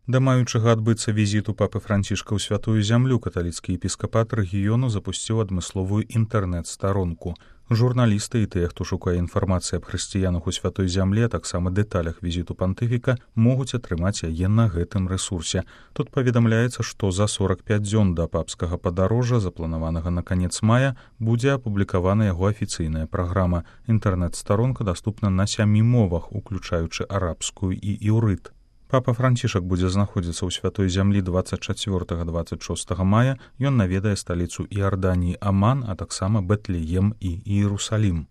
Да маючага адбыцца візіту папы Францішка ў святую зямлю каталіцкі епіскапат рэгіёну запусціў адмысловую інтэрнэт-старонку. Журналісты і тыя, хто шукае інфармацыі аб хрысціянах у святой зямлі, а таксама дэталях візіту пантыфіка, могуць атрымаць яе на гэтым рэсурсе. Тут паведамляецца, што за 45 дзён да папскага падарожжа, запланаванага на канец мая, будзе апублікавана яго афіцыйная праграма. Інтэрнэт-старонка даступна на 7 мовах, уключаючы арабскую і іўрыт. Папа Францішак будзе знаходзіцца ў святой зямлі 24-26 мая. Ён наведае сталіцу Іорданіі Аман, а таксама Бэтлеем і Іерусалім.